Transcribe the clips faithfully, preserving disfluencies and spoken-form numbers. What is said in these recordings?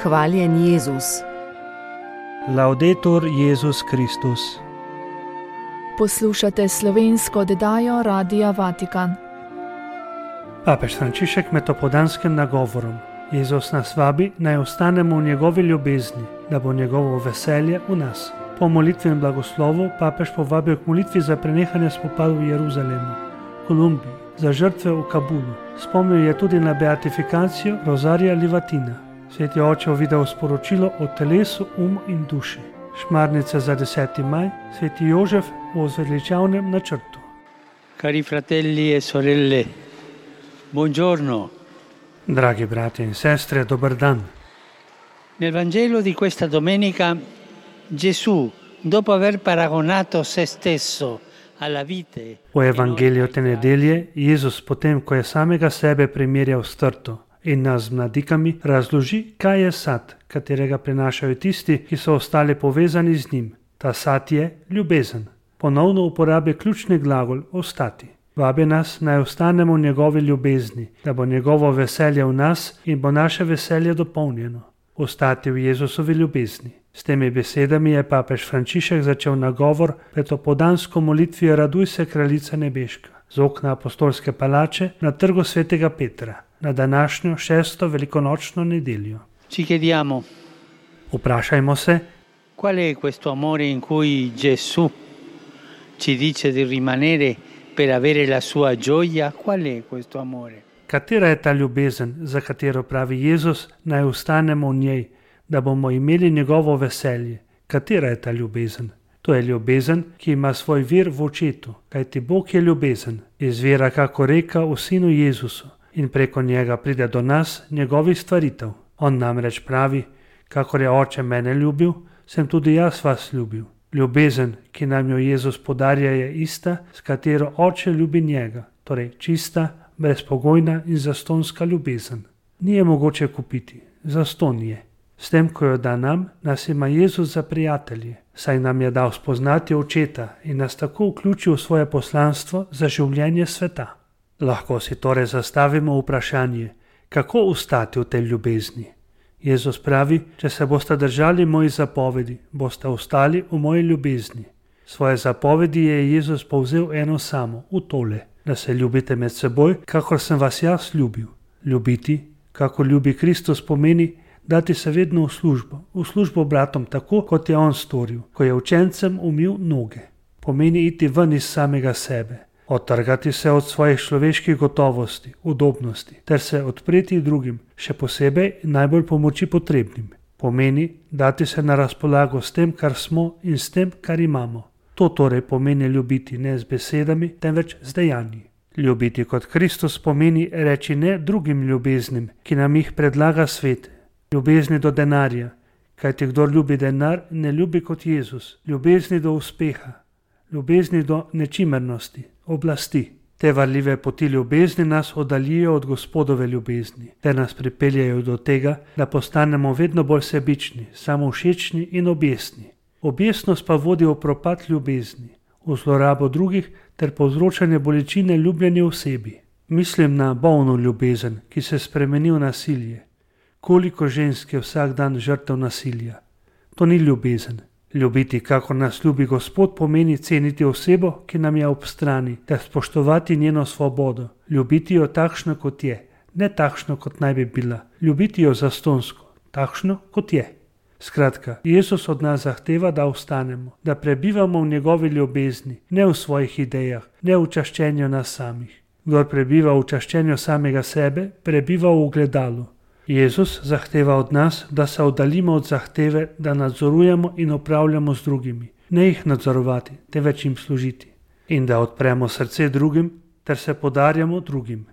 Hvaljen Jezus. Laudetur Jezus Kristus. Poslušate slovensko oddajo Radia Vatikan. Papež Frančišek med opoldanskim nagovorom. Jezus nas vabi, naj ostanemo v njegovi ljubezni, da bo njegovo veselje v nas. Po molitvi in blagoslovu papež povabil k molitvi za prenehanje spopadov v Jeruzalemu, Kolumbiji, za žrtve v Kabulu. Spomnil je tudi na beatifikacijo Rozarija Livatina. Sveti oče videl sporočilo o telesu, umu in duši. Šmarnice za deseti maj, sveti Jožef o zveličavnem načrtu. Cari fratelli e sorelle, buongiorno. Dragi brati in sestre, dober dan. Nel Vangelo di questa domenica Gesù, dopo aver paragonato se stesso alla vite. V Evangeliju te nedelje Jezus potem, ko je samega sebe primerjal s trto in nas z mladikami, razloži, kaj je sad, katerega prinašajo tisti, ki so ostali povezani z njim. Ta sad je ljubezen. Ponovno uporabi ključni glagol ostati. Vabi nas, naj ostanemo v njegovi ljubezni, da bo njegovo veselje v nas in bo naše veselje dopolnjeno. Ostati v Jezusovi ljubezni. S temi besedami je papež Frančišek začel nagovor pred opoldansko molitvijo Raduj se, kraljica nebeška, z okna apostolske palače na trgu svetega Petra, na današnjo šesto velikonočno nedeljo. Ci chiediamo, Vprašajmo se, qual è questo amore in cui Gesù ci dice di rimanere per avere la sua gioia? Qual è questo amore? katera je ta ljubezen, za katero pravi Jezus, naj ostanemo v njej, da bomo imeli njegovo veselje. Katera je ta ljubezen? To je ljubezen, ki ima svoj vir v očetu, kajti Bog je ljubezen, izvira kako reka v Sinu Jezusu in preko njega pride do nas njegovih stvaritev. On namreč pravi, kakor je Oče mene ljubil, sem tudi jaz vas ljubil. Ljubezen, ki nam jo Jezus podarja, je ista, s katero Oče ljubi njega, torej čista, brezpogojna in zastonska ljubezen. Ni je mogoče kupiti, zaston je. S tem, ko jo da nam, nas ima Jezus za prijatelje, saj nam je dal spoznati Očeta in nas tako vključil v svoje poslanstvo za življenje sveta. Lahko si torej zastavimo vprašanje, kako ostati v tej ljubezni. Jezus pravi, če se boste držali mojih zapovedi, boste ostali v moji ljubezni. Svoje zapovedi je Jezus povzel eno samo, v tole, da se ljubite med seboj, kakor sem vas jaz ljubil. Ljubiti, kakor ljubi Kristus, pomeni dati se vedno v službo, v službo bratom tako, kot je on storil, ko je učencem umil noge. Pomeni iti ven iz samega sebe, odtrgati se od svojih človeških gotovosti, udobnosti, ter se odpreti drugim, še posebej najbolj pomoči potrebnim. Pomeni dati se na razpolago s tem, kar smo in s tem, kar imamo. To torej pomeni ljubiti ne z besedami, temveč z dejanji. Ljubiti kot Kristus pomeni reči ne drugim ljubeznim, ki nam jih predlaga svet. Ljubezni do denarja, kajti kdor ljubi denar, ne ljubi kot Jezus. Ljubezni do uspeha, ljubezni do nečimernosti, oblasti. Te varljive poti ljubezni nas oddaljijo od Gospodove ljubezni, ter nas pripeljajo do tega, da postanemo vedno bolj sebični, samovšečni in objestni. Objestnost pa vodi v propad ljubezni, v zlorabo drugih ter povzročanje bolečine ljubljeni osebi. Mislim na bolno ljubezen, ki se spremeni v nasilje. Koliko žensk je vsak dan žrtev nasilja? To ni ljubezen. Ljubiti, kakor nas ljubi Gospod, pomeni ceniti osebo, ki nam je ob strani, ter spoštovati njeno svobodo. Ljubiti jo takšno, kot je, ne takšno, kot naj bi bila. Ljubiti jo zastonsko, takšno, kot je. Skratka, Jezus od nas zahteva, da ostanemo, da prebivamo v njegovi ljubezni, ne v svojih idejah, ne v čaščenju nas samih. Kdor prebiva v čaščenju samega sebe, prebiva v ogledalu. Jezus zahteva od nas, da se oddaljimo od zahteve, da nadzorujemo in upravljamo z drugimi, ne jih nadzorovati, temveč jim služiti. In da odpremo srce drugim, ter se podarjamo drugim.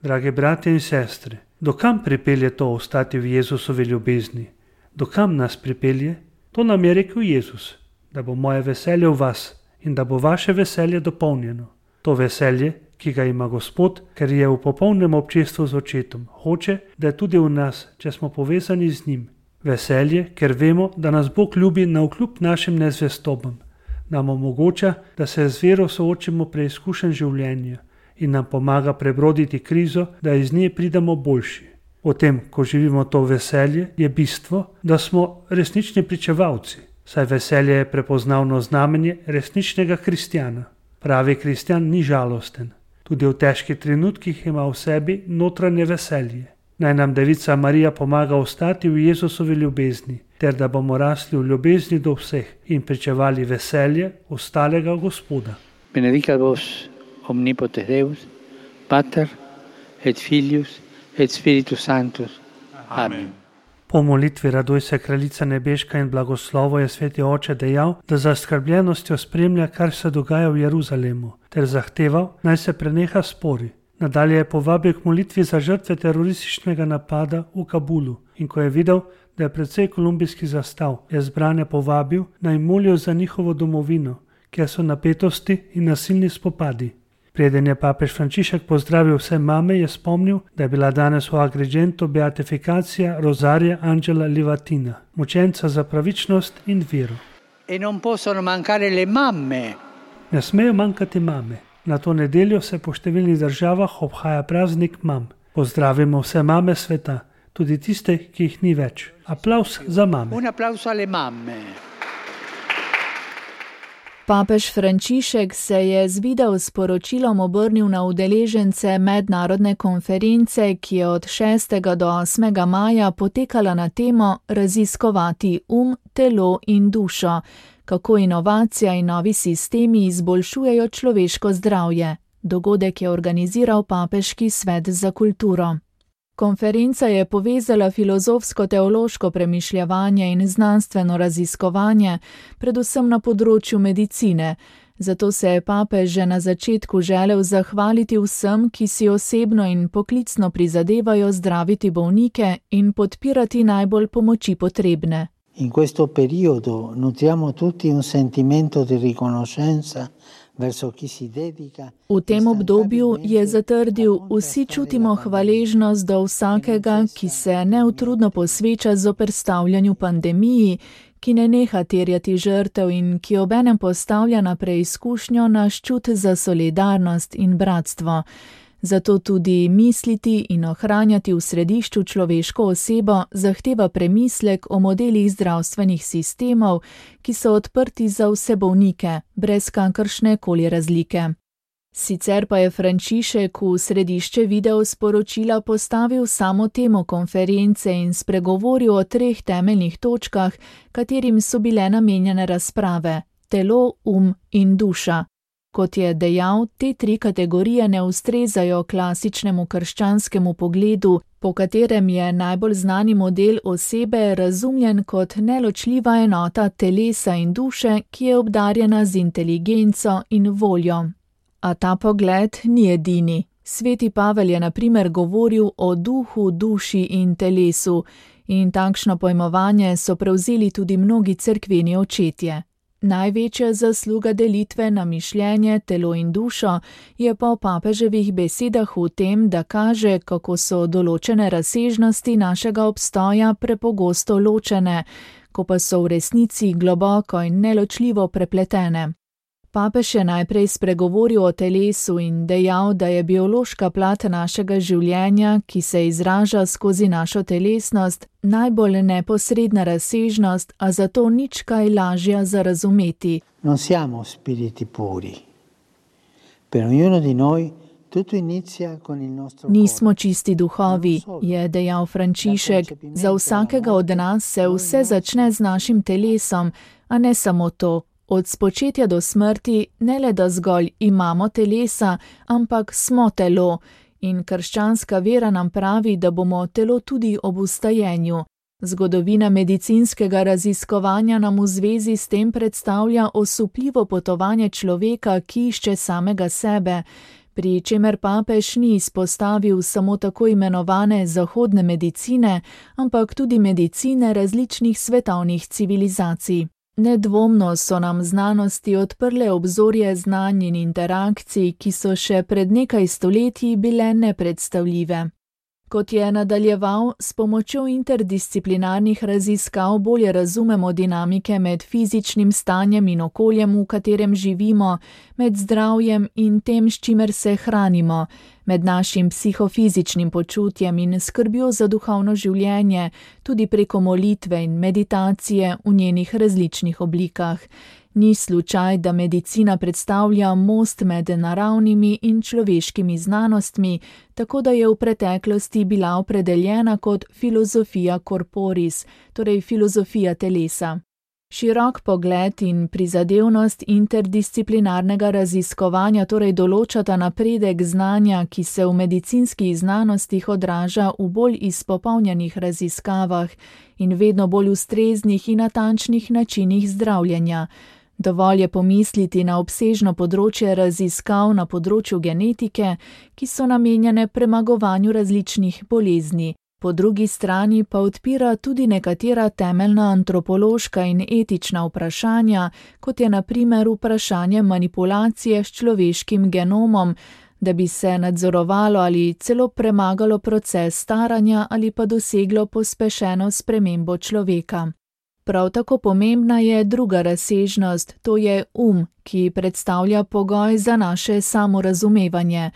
Drage bratje in sestre, dokam pripelje to ostati v Jezusovi ljubezni? Dokam nas pripelje? To nam je rekel Jezus, da bo moje veselje v vas in da bo vaše veselje dopolnjeno. To veselje, ki ga ima Gospod, ker je v popolnem občestvu z Očetom, hoče, da je tudi v nas, če smo povezani z njim. Veselje, ker vemo, da nas Bog ljubi navkljub našim nezvestobam, nam omogoča, da se z vero soočimo preizkušenj življenja in nam pomaga prebroditi krizo, da iz nje pridemo boljši. V tem, ko živimo to veselje, je bistvo, da smo resnični pričevalci, saj veselje je prepoznavno znamenje resničnega kristjana. Pravi kristjan ni žalosten. Tudi v težkih trenutkih ima v sebi notranje veselje. Naj nam Devica Marija pomaga ostati v Jezusovi ljubezni, ter da bomo rasli v ljubezni do vseh in pričevali veselje ostalega Gospoda. Benedicat vos omnipotens Deus, Pater et Filius et Spiritus Sanctus. Amen. Po molitvi Radoj se kraljica nebeška in blagoslovo je sveti oče dejal, da za skrbljenostjo spremlja, kar se dogaja v Jeruzalemu, ter zahteval, naj se preneha spori. Nadalje je povabil k molitvi za žrtve terorističnega napada v Kabulu in ko je videl, da je precej kolumbijskih zastav, je zbrane povabil, naj molijo za njihovo domovino, kjer so napetosti in nasilni spopadi. Preden je papež Frančišek pozdravil vse mame, je spomnil, da je bila danes v Agrigentu beatifikacija Rosaria Angela Livatina, mučenca za pravičnost in vero. E non possono mancare le mamme. Ne smejo manjkati mame. Na to nedeljo se po številnih državah obhaja praznik mam. Pozdravimo vse mame sveta, tudi tiste, ki jih ni več. Aplavz za mame. Un applauso alle mamme. Papež Frančišek se je z video sporočilom obrnil na udeležence mednarodne konference, ki je od šestega do osmega maja potekala na temo Raziskovati um, telo in dušo, kako inovacija in novi sistemi izboljšujejo človeško zdravje. Dogodek je organiziral Papeški svet za kulturo. Konferenca je povezala filozofsko-teološko premišljevanje in znanstveno raziskovanje, predvsem na področju medicine. Zato se je papež že na začetku želel zahvaliti vsem, ki si osebno in poklicno prizadevajo zdraviti bolnike in podpirati najbolj pomoči potrebne. In questo periodo nutriamo tutti un sentimento di riconoscenza verso chi si dedica. V tem obdobju je zatrdil, vsi čutimo hvaležnost do vsakega, ki se neutrudno posveča zoperstavljanju pandemiji, ki ne neha terjati žrtev in ki obenem postavlja na preizkušnjo naš čut za solidarnost in bratstvo. Zato tudi misliti in ohranjati v središču človeško osebo zahteva premislek o modelih zdravstvenih sistemov, ki so odprti za vse bolnike, brez kakršne koli razlike. Sicer pa je Frančišek v središče video sporočila postavil samo temo konference in spregovoril o treh temeljnih točkah, katerim so bile namenjene razprave: telo, um in duša. Kot je dejal, te tri kategorije ne ustrezajo klasičnemu krščanskemu pogledu, po katerem je najbolj znani model osebe razumljen kot neločljiva enota telesa in duše, ki je obdarjena z inteligenco in voljo. A ta pogled ni edini. Sveti Pavel je na primer govoril o duhu, duši in telesu in takšno pojmovanje so prevzeli tudi mnogi cerkveni očetje. Največja zasluga delitve na mišljenje, telo in dušo je po papeževih besedah v tem, da kaže, kako so določene razsežnosti našega obstoja prepogosto ločene, ko pa so v resnici globoko in neločljivo prepletene. Papež je najprej spregovoril o telesu in dejal, da je biološka plat našega življenja, ki se izraža skozi našo telesnost, najbolj neposredna razsežnost, a zato nič kaj lažja za razumeti. Non siamo spiriti puri. Per ognuno di noi tutto inizia con il nostro cuore. Nismo čisti duhovi, je dejal Frančišek. Za vsakega od nas se vse začne z našim telesom, a ne samo to. Od spočetja do smrti ne le da zgolj imamo telesa, ampak smo telo in krščanska vera nam pravi, da bomo telo tudi ob ustajenju. Zgodovina medicinskega raziskovanja nam v zvezi s tem predstavlja osupljivo potovanje človeka, ki išče samega sebe, pri čemer papež ni izpostavil samo tako imenovane zahodne medicine, ampak tudi medicine različnih svetovnih civilizacij. Nedvomno so nam znanosti odprle obzorje znanj in interakcij, ki so še pred nekaj stoletji bile nepredstavljive. Kot je nadaljeval, s pomočjo interdisciplinarnih raziskav bolje razumemo dinamike med fizičnim stanjem in okoljem, v katerem živimo, med zdravjem in tem, s čimer se hranimo, med našim psihofizičnim počutjem in skrbjo za duhovno življenje, tudi preko molitve in meditacije v njenih različnih oblikah. Ni slučaj, da medicina predstavlja most med naravnimi in človeškimi znanostmi, tako da je v preteklosti bila opredeljena kot filozofija corporis, torej filozofija telesa. Širok pogled in prizadevnost interdisciplinarnega raziskovanja torej določata napredek znanja, ki se v medicinskih znanostih odraža v bolj izpopolnjenih raziskavah in vedno bolj ustreznih in natančnih načinih zdravljenja. Dovolj je pomisliti na obsežno področje raziskav na področju genetike, ki so namenjene premagovanju različnih bolezni. Po drugi strani pa odpira tudi nekatera temeljna antropološka in etična vprašanja, kot je na primer vprašanje manipulacije s človeškim genomom, da bi se nadzorovalo ali celo premagalo proces staranja ali pa doseglo pospešeno spremembo človeka. Prav tako pomembna je druga razsežnost, to je um, ki predstavlja pogoj za naše samorazumevanje.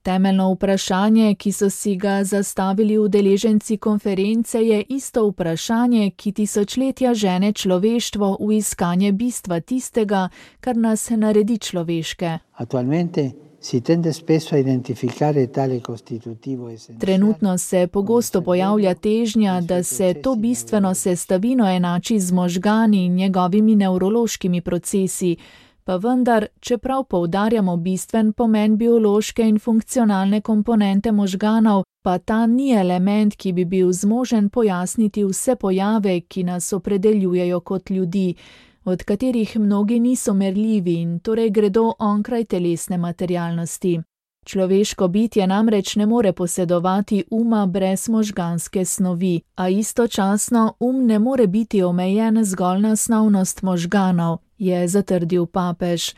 Temeljno vprašanje, ki so si ga zastavili udeleženci konference, je isto vprašanje, ki tisočletja žene človeštvo v iskanje bistva tistega, kar nas naredi človeške. Trenutno se pogosto pojavlja težnja, da se to bistveno sestavino enači z možgani in njegovimi nevrološkimi procesi, pa vendar, čeprav poudarjamo bistven pomen biološke in funkcionalne komponente možganov, pa ta ni element, ki bi bil zmožen pojasniti vse pojave, ki nas opredeljujejo kot ljudi, od katerih mnogi niso merljivi in torej gredo onkraj telesne materialnosti. Človeško bitje namreč ne more posedovati uma brez možganske snovi, a istočasno um ne more biti omejen zgolj na snovnost možganov, je zatrdil papež.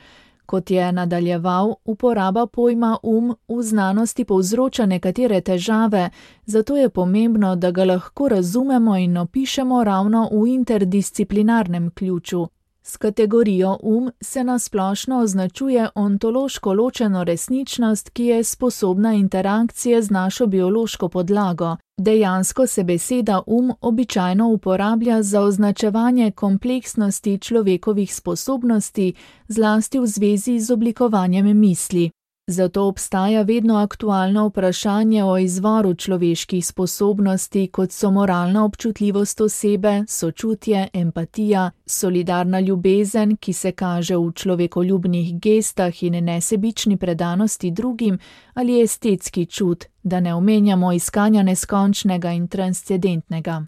Kot je nadaljeval, uporaba pojma um v znanosti povzroča nekatere težave, zato je pomembno, da ga lahko razumemo in opišemo ravno v interdisciplinarnem ključu. S kategorijo um se nasplošno označuje ontološko ločeno resničnost, ki je sposobna interakcije z našo biološko podlago. Dejansko se beseda um običajno uporablja za označevanje kompleksnosti človekovih sposobnosti, zlasti v zvezi z oblikovanjem misli. Zato obstaja vedno aktualno vprašanje o izvoru človeških sposobnosti, kot so moralna občutljivost osebe, sočutje, empatija, solidarna ljubezen, ki se kaže v človekoljubnih gestah in nesebični predanosti drugim, ali estetski čut, da ne omenjamo iskanja neskončnega in transcendentnega.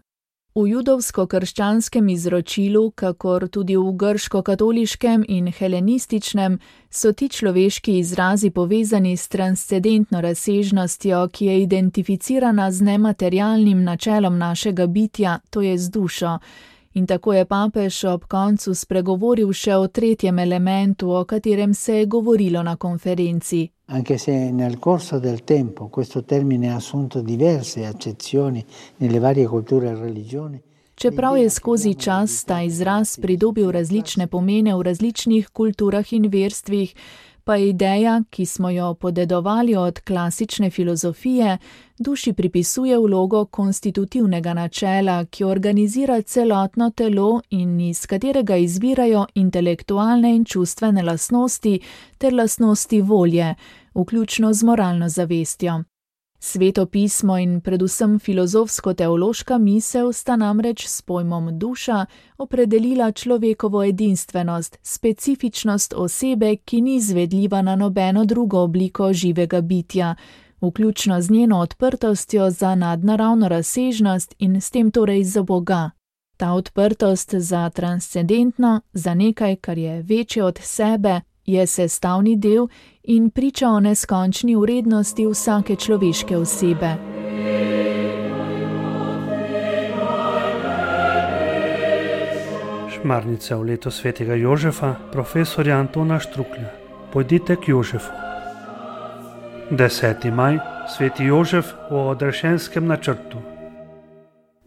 V judovsko-krščanskem izročilu, kakor tudi v grško-katoliškem in helenističnem, so ti človeški izrazi povezani s transcendentno razsežnostjo, ki je identificirana z nematerialnim načelom našega bitja, to je z dušo. In tako je papež ob koncu spregovoril še o tretjem elementu, o katerem se je govorilo na konferenci. Anche se nel corso del tempo questo termine ha assunto diverse accezioni nelle varie culture e religioni. Čeprav je skozi čas ta izraz pridobil različne pomene v različnih kulturah in verstvih, pa je ideja, ki smo jo podedovali od klasične filozofije, duši pripisuje vlogo konstitutivnega načela, ki organizira celotno telo in iz katerega izvirajo intelektualne in čustvene lastnosti ter lastnosti volje, vključno z moralno zavestjo. Sveto pismo in predvsem filozofsko-teološka misel sta namreč s pojmom duša opredelila človekovo edinstvenost, specifičnost osebe, ki ni izvedljiva na nobeno drugo obliko živega bitja, vključno z njeno odprtostjo za nadnaravno razsežnost in s tem torej za Boga. Ta odprtost za transcendentno, za nekaj, kar je večje od sebe, je sestavni del in priča o neskončni vrednosti vsake človeške osebe. Šmarnica v leto svetega Jožefa, profesorja Antona Štruklja. Pojdite k Jožefu. deseti maj Sveti Jožef o odrešenskem načrtu.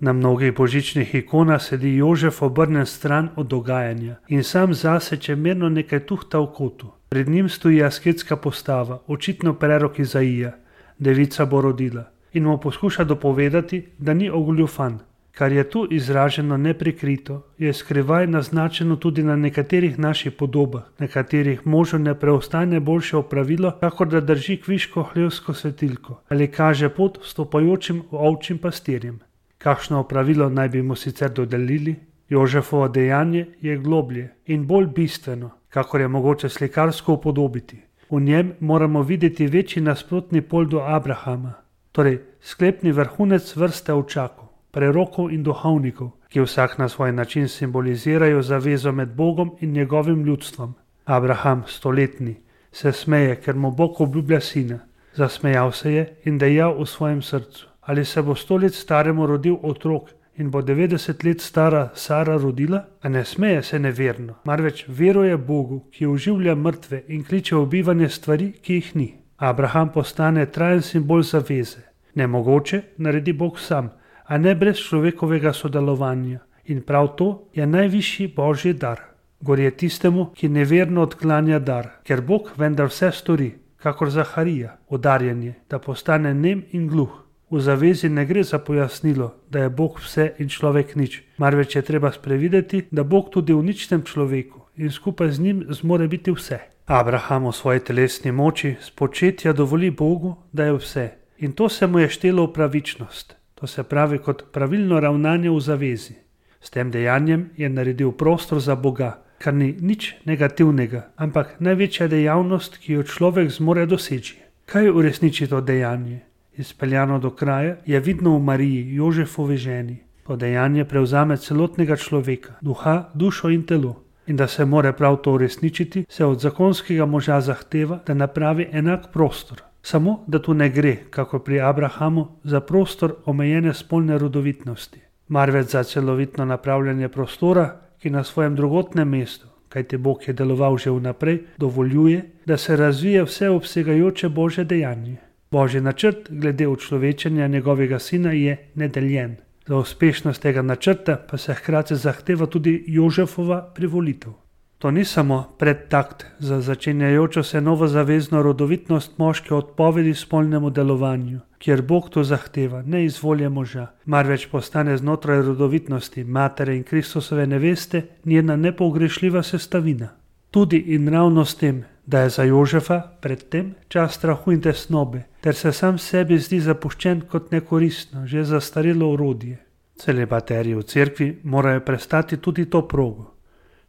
Na mnogih božičnih ikonah sedi Jožef obrnjen stran od dogajanja in sam zase čemerno nekaj tuhta v kotu. Pred njim stoji asketska postava, očitno prerok Izaija, devica bo rodila, in mu poskuša dopovedati, da ni ogoljufan. Kar je tu izraženo neprikrito, je skrivaj naznačeno tudi na nekaterih naših podobah, na katerih možu ne preostane boljše opravilo, kakor da drži kviško hlevsko svetilko ali kaže pot vstopajočim ovčjim pastirjem. Kakšno opravilo naj bi mu sicer dodelili? Jožefovo dejanje je globlje in bolj bistveno, kakor je mogoče slikarsko upodobiti. V njem moramo videti večji nasprotni pol do Abrahama, torej sklepni vrhunec vrste ovčakov, prerokov in duhovnikov, ki vsak na svoj način simbolizirajo zavezo med Bogom in njegovim ljudstvom. Abraham, stoletni, se smeje, ker mu Bog obljublja sina. Zasmejal se je in dejal v svojem srcu: ali se bo sto let staremu rodil otrok in bo devetdeset let stara Sara rodila? A ne smeje se neverno, marveč veruje Bogu, ki oživlja mrtve in kliče v bivanje stvari, ki jih ni. Abraham postane trajen simbol zaveze. Nemogoče naredi Bog sam, a ne brez človekovega sodelovanja. In prav to je najvišji božji dar. Gorje tistemu, ki neverno odklanja dar, ker Bog vendar vse stori, kakor Zaharija, udarjanje, da postane nem in gluh. V zavezi ne gre za pojasnilo, da je Bog vse in človek nič, marveč je treba sprevideti, da Bog tudi v ničnem človeku in skupaj z njim zmore biti vse. Abraham v svoji telesni moči spočetja dovoli Bogu, da je vse, in to se mu je štelo v pravičnost, to se pravi kot pravilno ravnanje v zavezi. S tem dejanjem je naredil prostor za Boga, kar ni nič negativnega, ampak največja dejavnost, ki jo človek zmore doseči. Kaj uresniči to dejanje? Izpeljano do kraja je vidno v Mariji, Jožefovi ženi. To dejanje prevzame celotnega človeka, duha, dušo in telo. In da se more prav to uresničiti, se od zakonskega moža zahteva, da napravi enak prostor. Samo, da tu ne gre, kako pri Abrahamu, za prostor omejene spolne rodovitnosti, marveč za celovitno napravljanje prostora, ki na svojem drugotnem mestu, kajti Bog je deloval že vnaprej, dovoljuje, da se razvije vseobsegajoče Božje dejanje. Božji načrt glede učlovečenja njegovega sina je nedeljen. Za uspešnost tega načrta pa se hkrati zahteva tudi Jožefova privolitev. To ni samo predtakt za začenjajočo se novozavezno rodovitnost moške odpovedi spolnemu delovanju, kjer Bog to zahteva, ne iz volje moža, marveč postane znotraj rodovitnosti matere in Kristusove neveste njena nepogrešljiva sestavina. Tudi in ravno s tem, da je za Jožefa predtem čas strahu in tesnobe, ter se sam sebi zdi zapuščen kot nekoristno, že zastarelo orodje. Celibaterji v cerkvi morajo prestati tudi to progo.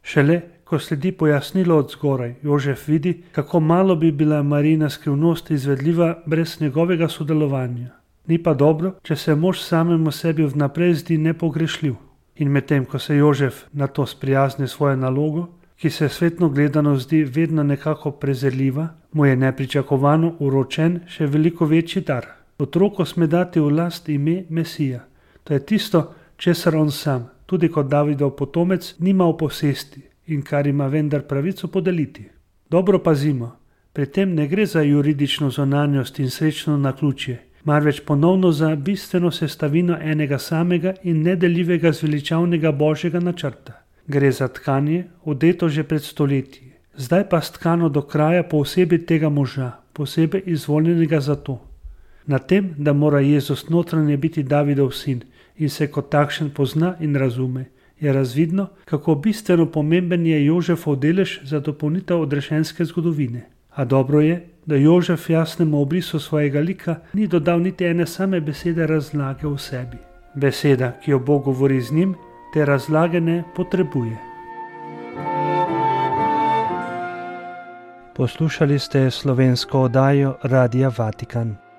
Šele, ko sledi pojasnilo od zgoraj, Jožef vidi, kako malo bi bila Marijina skrivnost izvedljiva brez njegovega sodelovanja. Ni pa dobro, če se mož samemu sebi vnaprej zdi nepogrešljiv. In medtem, ko se Jožef na to sprijazni svojo nalogo, ki se svetno gledano zdi vedno nekako prezirljiva, mu je nepričakovano uročen še veliko večji dar. Otroku sme dati v last ime Mesija. To je tisto, česar on sam, tudi kot Davidov potomec, nima v posesti in kar ima vendar pravico podeliti. Dobro pazimo, pri tem ne gre za juridično zonanjost in srečno naključje, marveč ponovno za bistveno sestavino enega samega in nedeljivega zveličavnega Božjega načrta. Gre za tkanje, odeto že pred stoletji, zdaj pa stkano do kraja po osebi tega moža, posebej izvoljenega za to. Na tem, da mora Jezus notranje biti Davidov sin in se kot takšen pozna in razume, je razvidno, kako bistveno pomemben je Jožefov delež za dopolnitev odrešenske zgodovine. A dobro je, da Jožef jasnemu obrisu svojega lika ni dodal niti ene same besede razlage v sebi. Beseda, ki jo Bog govori z njim, te razlage ne potrebuje. Poslušali ste slovensko oddajo Radia Vatikan.